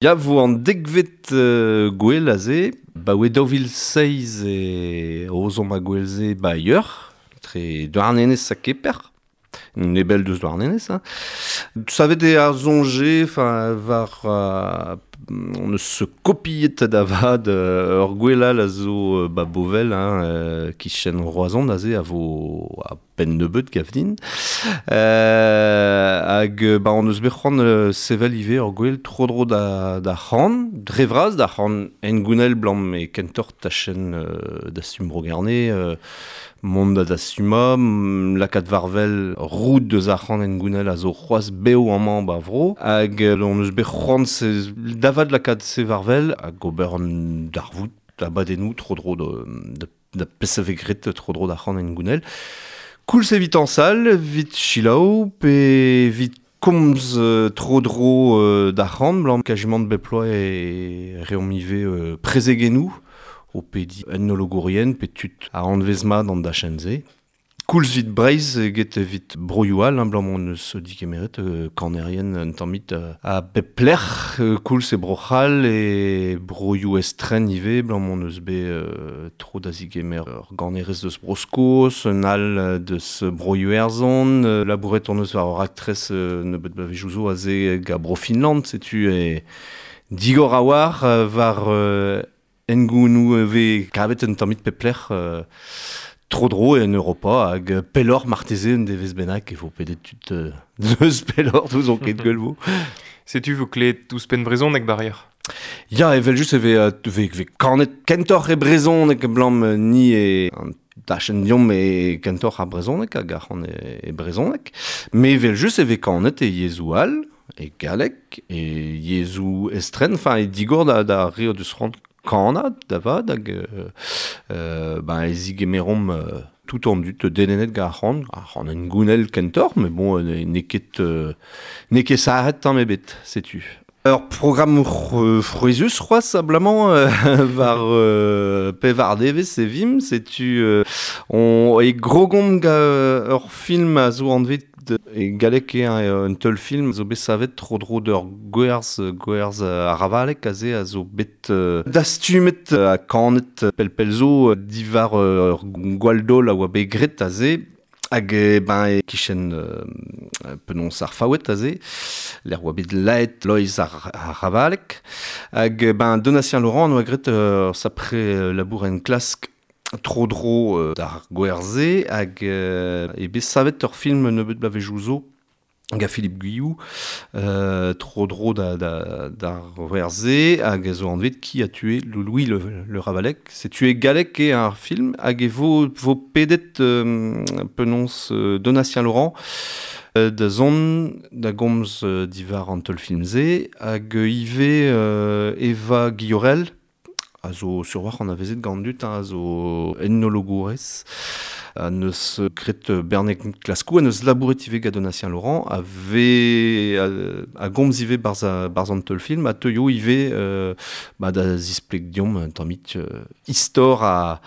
Ya vo an dekvet gwel aze, ba oe 2006 e ozomp a gwel-se ba ur, tre Douarnenez ha Keper. Nebel deus Douarnenez. Hein. Savet eo ar soñje, enfin, war on eus kopiet da vat ur gwel all a zo ba Bovel, hein, kichen Roazhon aze a vo a penn nebeut gav din. Hag ba on eus bet c'hoant sevel ivez ur gwel tro-dro da, da c'han, dre vras da c'han engounel blam e kentoc'h tachenn dastum Bro-Gerne, mont da dastummañ, lakaat war-wel roud deus ar c'han engounel a zo c'hoazh bev amañ ba vro. Hag on eus bet c'hoant da vat lakaat se war-wel hag ober an darvoud abadennoù tro-dro da, da pezh a vez graet tro-dro d'ar c'han engounel. Koulz evit añsal, evit selaou pe evit komz tro-dro d'ar c'han, blam kajimant bep bloaz e reomp ivez prezegennoù o pediñ etnologourien pe tud a anvez mat an dachenn-se. Koulz evit Breizh eget evit broioù all, hein, blam hon eus digemeret kanerien un tammig a bep lec'h, koulz e Bro-C'hall e broioù estren ivez, blam hon eus bet tro da zigemer ur ganerez deus Bro-Skos, un all deus Bro-Iwerzhon, labouret hon eus war ur raktres nebeut bloavezhioù zo aze ga Bro-Finland, setu e digor a-walc'h war Hengounoù e vez kavet un tammig pep lec'h tro-dro en Europa hag pelloc'h marteze un devezh bennak e vo pedet tud deus pelloc'h n'ouzon ket gwell vo. Setu vo klevet ouzhpenn brezhoneg barrier. Ya, evel-just e vez, vez, vez kanet kentoc'h e brezhoneg blam ni e an dachenn deomp e kentoc'h ar brezhoneg hag ar c'han e brezhoneg. Mais evel-just e vez kanet e yezhoù all, e galleg, e yezhoù estren, enfin e digor da, da re o deus c'hoant kannad da vat hag ben e zigemeromp tout an dud dedennet gant ar c'han, ar c'han hengounel kentoc'h, mais bon n'eo ket n'eo ket sarret tamm ebet, setu. Ur programm frouezhus c'hoazh abalamour war pevar devezh e vimp, setu on e grogomp gant ur film a zo anvet E galleg eo un teulfilm zo bet savet tro-dro d'ur gwerz, gwerz ar Ravalek aze a zo bet dastumet ha kanet pell-pell zo diwar ur gwall-daol a oa bet graet aze. Hag ben e-kichen penaos ar Faoued aze, lec'h oa bet laet Loeiz ar, ar Ravalek. Hag ben Donatien Laurent oa graet ur sapre labour enklask tro-dro d'ar gwer-se hag eo bet savet ur film nebeut bloavezhioù zo gant Philippe Guillou tro-dro da, da, d'ar gwer-se hag a zo anvet Qui a tué Louis le, le Ravalec. Setu e galleg eo ar film hag e vo, vo pedet penaos Donatien Laurent da zont da gomz diwar an teulfilm-se hag ivez Eva Guillorel a zo sur war anavezet gant an dud, a zo etnologourez, a neus graet Berneg Klaskoù, a neus labouret ivez gant Donatien Laurent, a vez a, a gomz ivez barzh, barzh an teulfilm, a teuio ivez ba, da zispleg deomp un tammig istor a,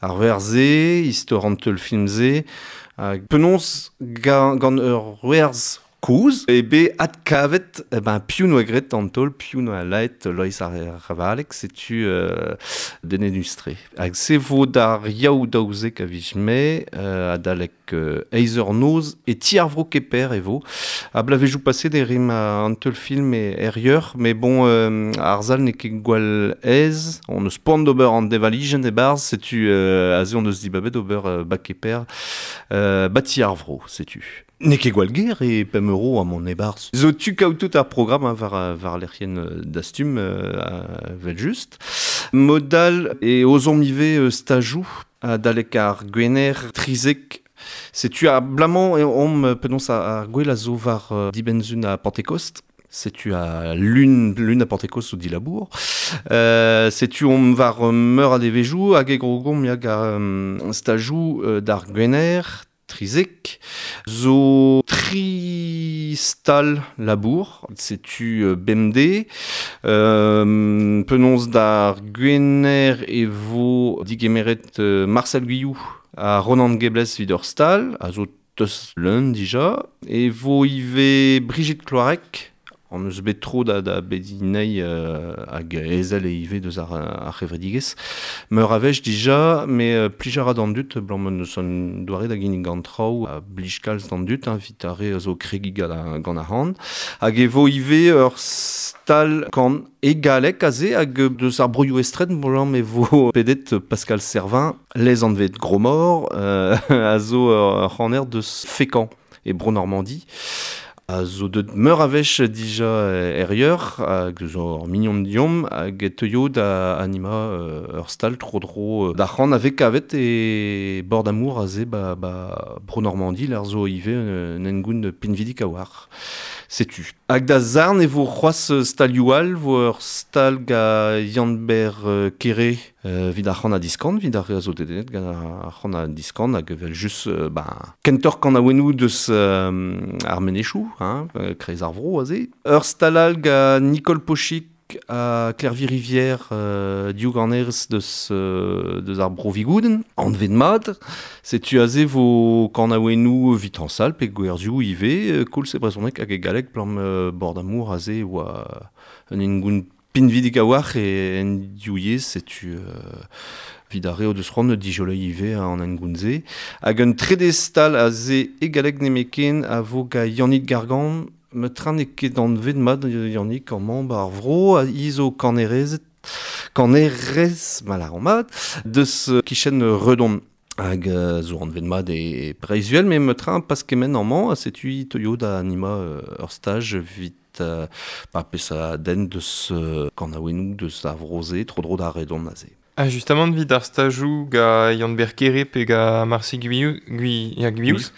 ar werz-se, istor an teulfilm-se, hag penaos gant, gant ur werz Kozh eo bet adkavet eh ben, piv 'noa graet an taol, piv 'noa laet Loeiz ar Ravalek, setu dedennus-tre. Hag se vo d'ar Yaou 12 a viz Mae, adalek eizh eur noz, e ti ar vro Keper e vo. Ha bloavezhioù paset e rimp an teulfilm er Yeur, mais bon, ar sal n'eo ket gwall aes, on eus poan d'ober an devalijenn e-barzh, setu aze on eus dibabet ober ba Keper, ba ti ar vro, setu. N'eo ket gwall ger e pemp euro amañ e-barzh. Zo tu kaout tout ar programm hein, war, war lec'hienn Dastum, evel-just. Mod all e ozomp ivez stajoù adalek ar Gwener 13. Setu abalamour eo omp penaos ar gwel a zo war dibenn-sun ha Pentekost. Setu a lun, lun a Pentekost zo dilabour. Setu omp war meur a devezhioù hag e grogomp ya gant stajoù d'ar Gwener 13 zo tri stal labour, setu bemdez. Penaos d'ar Gwener e vo digemeret Marcel Guillou ha Ronan Gebles evit ur stal, a zo tost leun dija. E vo ivez Brigitte Cloarec, On eus bet tro da bedinei hag ezel e ive deus ar c'hevredigezh. Meur a wech dija, me plij a ra d'an dud, blam eus an doare da ginnig gant traoù a blij kalz d'an dud, hein, vit ar re zo kregi gant ar c'han. Hag e vo ive ur stal kan e galek aze hag deus ar broioù estren, blam e vo pedet Pascal Servin, les anvet Gromor, a zo ur c'haner deus Fécamp e Bro-Normandie. A zo deut meur a wech dija errieur, hag zo ur mignon diom, hag e teuio da anima ur stal tro-dro da c'han ave kavet e bord amour a ze ba Bro-Normandie, l'ar zo ive un engoun pinvidik a war. Setu. Hag da zarn e vo c'hoaz stalioù all, vo ur stal ga Yann-Ber Kere vid ar c'han a diskant, vid ar re a zo dedennet gant ar c'han a diskant, hag evel just kentor kan a wenou deus ar menechou, hein, kreiz ar vro aze. Ur stal all ga Nicole Pochic a Klervi Rivière diou ganerez deus ar bro Vigouden, anvet mat, setu aze vo kan a wenou vit an sal pe gwerzioù ive, koulz e brezhoneg hag e galleg blam bord amour aze oa un engoun pinvidik a war e en diou yezh, setu vid ar reo deus c'hoant dijolei ive an engoun-ze. Hag un trede stal aze e galleg nemeken a vo ga Yannick Gargan, me tran e ket anvet mat Yannick amañ ba ar vro a izo kanerez mal ar mat deus kichen redon hag zo anvet mat e Breizh-Uhel, me me tran pas kement amañ a setu teuio da anima ur staj vit pa pes a den deus kanaouennoù deus ar vro-se, tro-dro da redon aze. Ah, justement, vid ar stajou ga Yann-Ber Kere pe ga Marcy Guious,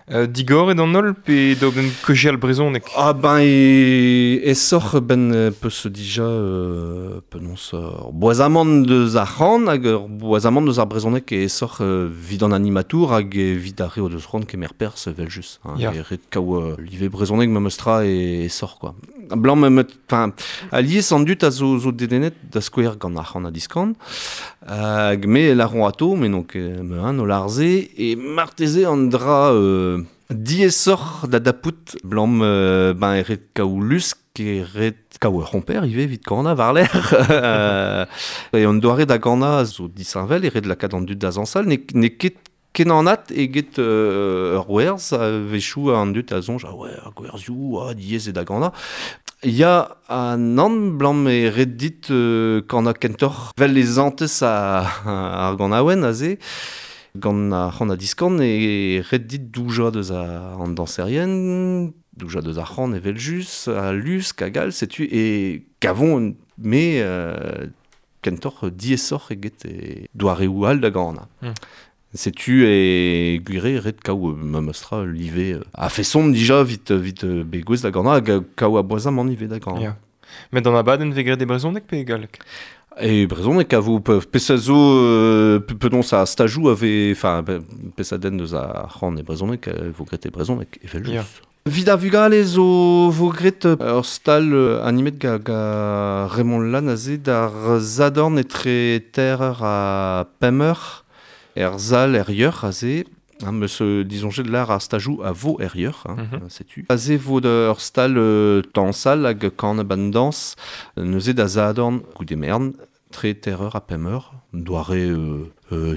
digor e d'an holl pe d'oben kejial brezhoneg? Ah ben e soc'h ben peus dija penaos ur boazamant deus ar c'han hag ur boazamant deus ar brezhoneg e soc'h vid an animatour hag evit ar re o deus c'hoant kemer perzh evel just. Hein, yeah. E ret kaou live brezhoneg memes tra e soc'h quoi. Blanc me enfin alies an dut a zo dedennet da skouer gant ar c'han a diskan hag me laron ato me donc me an o larze e marteze an dra diesoc'h da dapout blam ben e ret kaou lusk e ret kaou ur c'homper ive vit kana war l'air e an doare da gana zo disheñvel e ret lakaat an dud da zañsal ne ket kenanat eget ur werz a wechoù an dud a soñj ah ouais ar gwerzioù ah diaes e da gana. Ya an an blam e ret dit kana kentoc'h vel les antez ar ganaouen aze gant ar c'han a diskan e ret dit douja deus an danserien, douja deus ar c'han evel just, a lusk hag all, setu e kavon me kentoc'h diesoc'h eget e doareoù all da gana. Setu e gwire ret kaou memes tra live a feson dija vit begouez da gana hag kaou a boazamant ive da gana. Yeah. Met an abadenn vez graet e brezhoneg pe e galleg? E brezhoneg a vo pes a zo penaos a stajou ave enfin pes a den deus ar c'han e brezhoneg vo graet e brezhoneg evel just. Yeah. Vid ar vugale zo vo graet ur stal animet ga Raymond Lann aze d'ar zadorn etre terreur ha pemeur er zal er yeur aze hein, meus disonjet l'ar ar stajou a vo er yeur, hein, setu. Aze vo ur stal tañsal hag kan ban dans neuze da zadorn goude mern tre terreur ha pemeur doare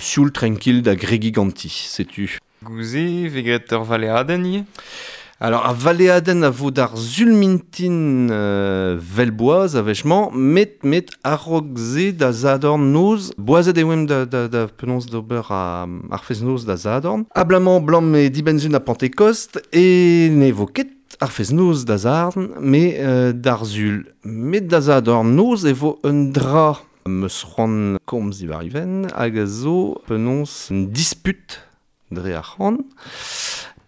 sioul tranquille da gregi ganti, setu. Gouze vez graet ur valeadenn ivez? Alors, a valeadenn a vo d'ar zulmintin velboaz a wechmañ, met a-raok se da zadorn noz, boazet e oemp da penaos d'ober ar fest-noz da zadorn. Ablamant blam e dibenzun a Pentecost e ne vo ket ar fest-noz da zadorn, me d'ar zul. Met da zadorn noz e vo un dra meus c'hoant komz diwar iven hag a zo penaos un disput dre ar c'han.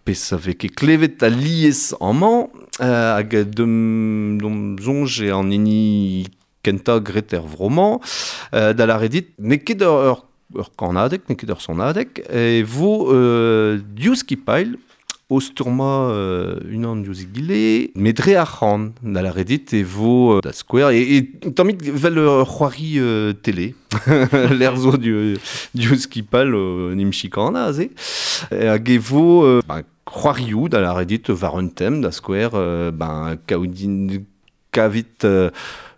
Pes a vez ket klevet a lies amañ, hag dom soñj e an hini kentañ graet er vro-mañ, da lâret dit, n'eo ket ur kannadeg, n'eo ket ur sonadeg, e vo diouzh skipailh o stourmañ unan diouzh egile, met dre ar c'han, da lâret dit e vo da skouer, e tammit vel ur c'hoari télé, l'air zo diouzh skipailh nim chikana aze, hag e vo c'hoarioù da lâret dit war un tem da skouer ben kaoudin kavit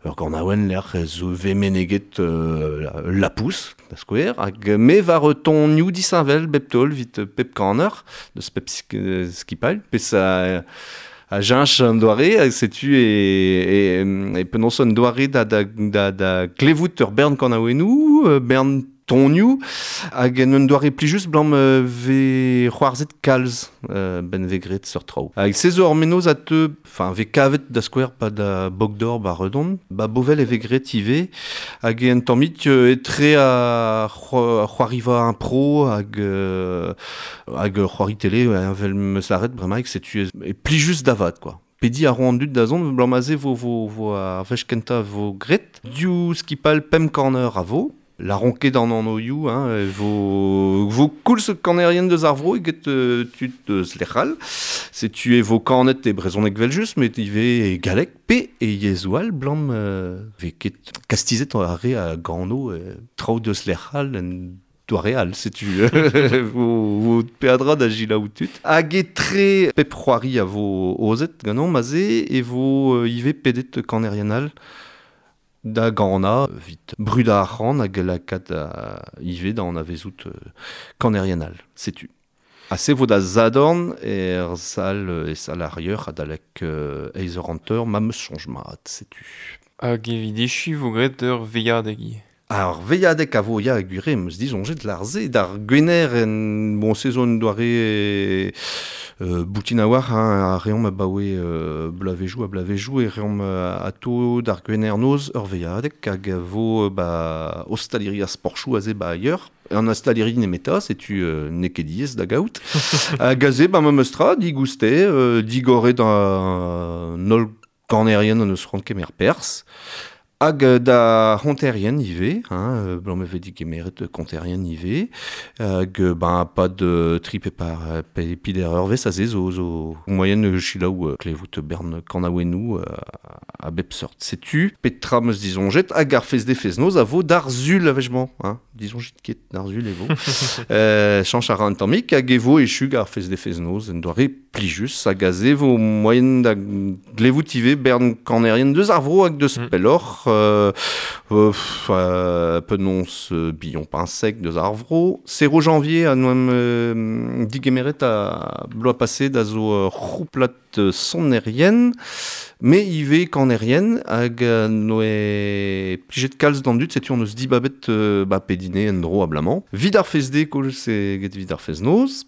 ur ganaouenn lec'h zo ve meneget la pousse, da skouer, hag me war tonioù disheñvel bep taol vit pep kaner, deus pep skipal, pes a jench an doare, setu e penaos an doare da klevout ur bern kanaouennoù, bern tonioù, hag en un doare plijus blam ve c'hoarzhet kalz ben ve gret sur traoù. Hag se zo ur menoz a teu, enfin ve kavet da skouer pa da Bogdor ba Redon, ba Bovel e ve gret ivez, hag en tammik etre a c'hoariva un pro hag c'hoari télé vel meus lâret bremaik setu e plijus davat quoi. Pedi a ro an dud da zont, blam aze vo ar wech kentañ vo gret, div skipal pemp corner a vo, la ronket an anoioù, hein, vo koulz kanerien deus ar vro eget tud deus lec'hal. Setu e vo kanet e brezhoneg vel just, met ivez e galleg pe e yezhoù all blam ve ket kastizet ar re a gano traoù deus lec'hal en doare all, setu vo peadra da gilaou tud. Hag etre pep c'hoari a vo ozet ganeomp aze e vo ivez pedet kanerien all da gana vit bruda ar c'han hag lakaat ivez da anavezout kanerien all, setu. Ha se vo da zadorn er sal e sal ar yeur adalek eiz eur hanter ma meus soñj mat, setu. Hag evit echu vo graet ur veilhadeg ivez. Ar veilhadeg a vo ya gwire meus disoñjet l'arze d'ar gwener en bon sezon doare boutin a war hein, a reomp abaoe blavejoù a blavejoù e reomp ato d'ar gwener noz ur veilhadeg hag a vo ba ostaliri a sporchoù aze ba ailleurs. An ostaliri nemeta, setu n'eo ket diaes da gaout. Hag aze ba memes tra digouste, digoret an holl kanerien an eus c'hoant kemer perzh. Hag da honterien ivez, hein, blam e vez digemeret konterien ivez, hag ben pas de tri pe par pe pider eurvez aze zo moyen chilaou klevout bern kanaouennoù a bep seurt. Setu petra meus disoñjet hag ar fez de fez noz a vo d'ar zul a-wechmañ, hein, disoñjet ket d'ar zul e vo. Chañch a ra an tammik hag e vo echu ar fez de fez noz en doare plijus hag aze vo moyen da glevout ivez bern kanerien deus ar vro hag deus pelloc'h. Penaos Billon Pinsec deus ar vro. Zero janvier a noem digemeret a bloaz passé da zo c'houplat sonerien, me ivez kanerien hag noe plijet kalz d'an dud, setu on eus dibabet ba pedine en dro ablamant. Vid ar fez de koulz e get vid ar fez noz.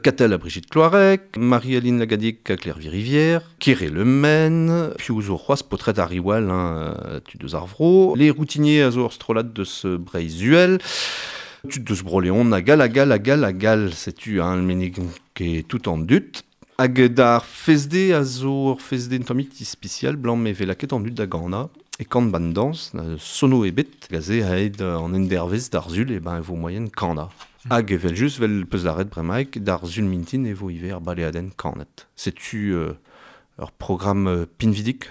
Catel à Brigitte Cloarec, Marie-Aline Lagadic à Claire Rivière, Kéré Le Men, Piouzo Roas, Potret à Riwal, hein, tu deus ar vro, les routiniers a zo ur strollad deus Breiz-Uhel, tu deus Broléon, a gal, a gal, a gal, a gal, setu hein, le menig ket tout en dut. Hag d'ar fezde a zo ur fezde un tammik ispisial, blanc me ve laket an dut da gana, e kant ban dans, sono ebet, gaze aet an endervez d'ar zul, e ben e vo moyen kana. Hag evel just vel peus lâret bremaik d'ar zul mintin e vo ivez ar baleadenn kanet. Setu ur programme pinvidik.